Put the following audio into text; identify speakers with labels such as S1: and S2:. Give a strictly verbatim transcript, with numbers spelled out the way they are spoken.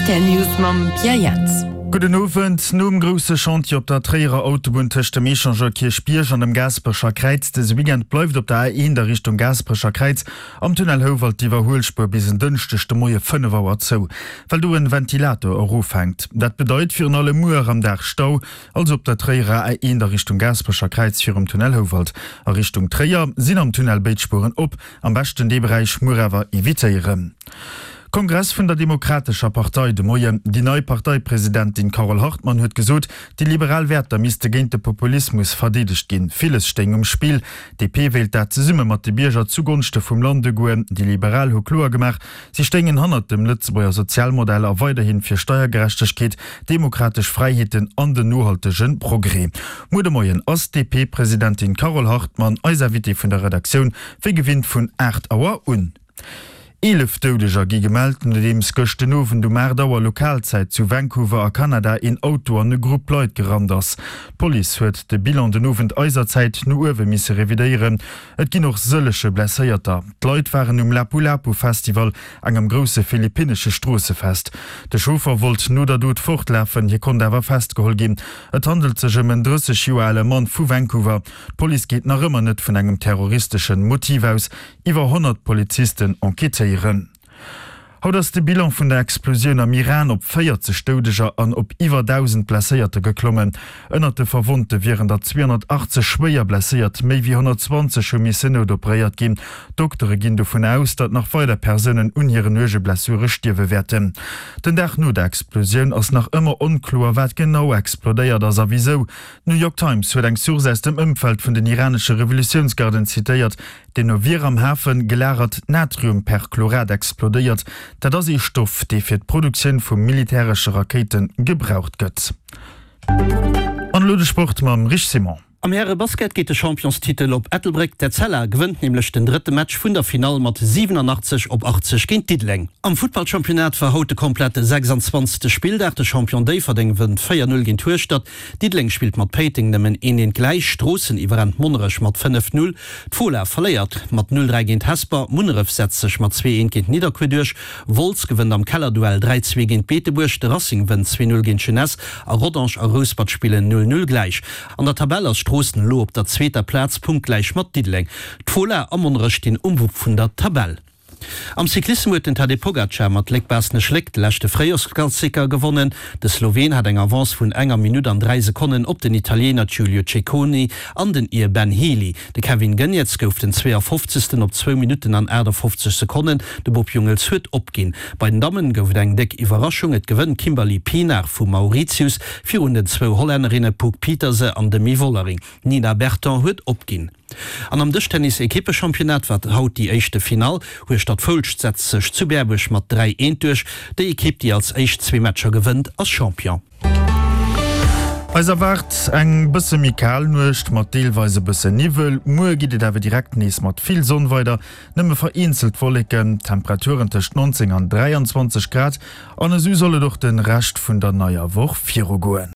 S1: Rtl News mam Pierre Jans.
S2: Gudden Owend. Nom grousse Chantier op der Tréierer Autobunn tëscht dem Echangeur Kierchbierg an dem Gaasperecher Kräiz dëse Weekend bleift op der A eent a Richtung Gaasperecher Kräiz am Tunnel Houwald d'Iwwerhuelspuer bis en Dënschdeg de Moie fënnef Auer zou, well do en Ventilator erofhänkt. Dat bedeit virun allem muer am Dag Stau, also op der Tréierer A eent a Richtung Gaasperecher Kräiz virum Tunnel Houwald. A Richtung Tréier sinn am Tunnel béid Spueren op. Am beschten dee Beräich muer awer evitéieren. Kongress vun der Demokratescher Partei de Moien. Déi nei Parteipresidentin Carole Hartmann huet gesot, déi liberal Wäerter misste géint de Populismus verdeedegt ginn. Villes stéing um Spill. D P wéilt dat zesumme mat de Bierger zugonschte vum Land ugoen. Déi Liberal hu kloer gemaach, si stéingen hannert dem Lëtzebuerger Sozialmodell a weiderhin fir Steiergerechtegkeet, demokratesch Fräiheeten an den nohaltege Progrès. Muer de Moien ass d'D P-Presidentin Carole Hartmann eis Invitée vun der Redaktioun, wéi gewinnt vun aacht Auer un. Eelef Doudeger gi gemellt, nodeems gëscht den Owend um aacht Auer Lokalzäit zu Vancouver a Kanada een Auto an e Grupp Leit gerannt ass. D'Police huet de Bilan den Owend eiser Zäit no uewe misse revidéieren. Et ginn och sëllege Blesséierter. D'Leit waren um Lapu Lapu Festival, engem grousse philippinnesche Stroossefest. De Chauffer wollt no der Dot fortlafen, hie konnt awer festgeholl ginn. Et handelt sech ëm en drësseg Joer ale Mann vu Vancouver. D'Police geet nach ëmmer net vun engem terroristeschen Motiv aus. Iwwer honnert Polizisten enquêtéieren. Haut ass de Bilan vun der Explosioun am Iran op véierzeg Doudeger an op iwwer dausend Blesséierte geklommen. Ënnert de Verwonnte wieren der zweehonnertachtzeg schwéier blesséiert, méi wéi honnertzwanzeg hu missen noutoperéiert ginn. D'Doktere ginn dovun aus, datt nach weider Persounen un hiren uerge Blessure stierwe wäerten. Den Dag no der Explosioun ass nach ëmmer onkloer, wat genau explodéiert ass a wisou. D'New York Times huet eng Source aus dem Ëmfeld vun den iranesche Revolutiounsgarden zitéiert, deemno wier am Hafe gelagert Natriumperchlorat explodéiert. Dat ass ee Stoff, dee fir d'Produktioun vu militäresche Rakéite gebraucht gëtt. An elo de Sport mam Rich Simon.
S3: Am Häre-Basket geet de Championstitel op Ettelbréck. D'Etzella gewënnt nämlech den drëtte Match vun der Finall mat siwenanachtzeg op achtzeg géint Diddeleng. Am Futtballchampionnat war haut de komplette sechsanzwanzegste Spilldag. De Champion Déifferdeng wënnt véier Null géint Hueschtert. Diddeleng spillt mat Péiteng nëmmen een eent gläich. Stroossen iwwerrennt Monnerech mat fënnef Null. D'Fola verléiert mat null dräi géint Hesper. Munneref setzt sech mat zwee eent géint Nidderkuer duerch. Wolz gewënnt am Kellerduell dräi zwee géint Beetebuerg. De Racing wënnt zwee null géint d'Jeunesse a Rodange a Rouspert spillen null null gläich. An der Tabell ass Stroossen elo op der zweeter Plaz, punktgläich mat Diddeleng. D'Fola a Monnerech stinn um Wupp vun der Tabell. Am Cyclissem huet den Tadej Pogacar mat Léck-Baaschtnech-Léck de leschte Fréijorsklassiker gewonnen. De Sloween hat eng Avance vun enger Minutt an dräi Sekonnen op den Italiener Giulio Ciccone an den Ir Ben Healy. De Kevin Geniets gouf den zweeafofzegsten op zwou Minutten an aachtafoffzeg Sekonnen. De Bob Jungels huet opginn. Bei den Dammen gouf et eng déck Iwwerraschung, Et gewënnt d'Kimberly Pienaar vu Mauritius virun den zwou Hollännerinne Puck Pieterse an Demi Vollering. D'Nina Berton huet opginn. An am Dëschtennis-Ekippechampionnat war haut déi éischte Finall. Hueschtert-Foulscht setzt sech zu Berbuerg mat dräi eent duerch. Déi Ekipp, déi als éischt zwee Matcher gewënnt, ass Champion.
S2: Eis erwaart eng bësse méi kal Nuecht mat deelweis e bësse Niwwel. Muer geet et awer direkt nees mat vill Sonn weider, nëmme vereenzelt Wolleken, Temperaturen tëscht neunzéng an dräianzwanzeg Grad. An esou soll et och de Rescht vun der neier Woch virugoen.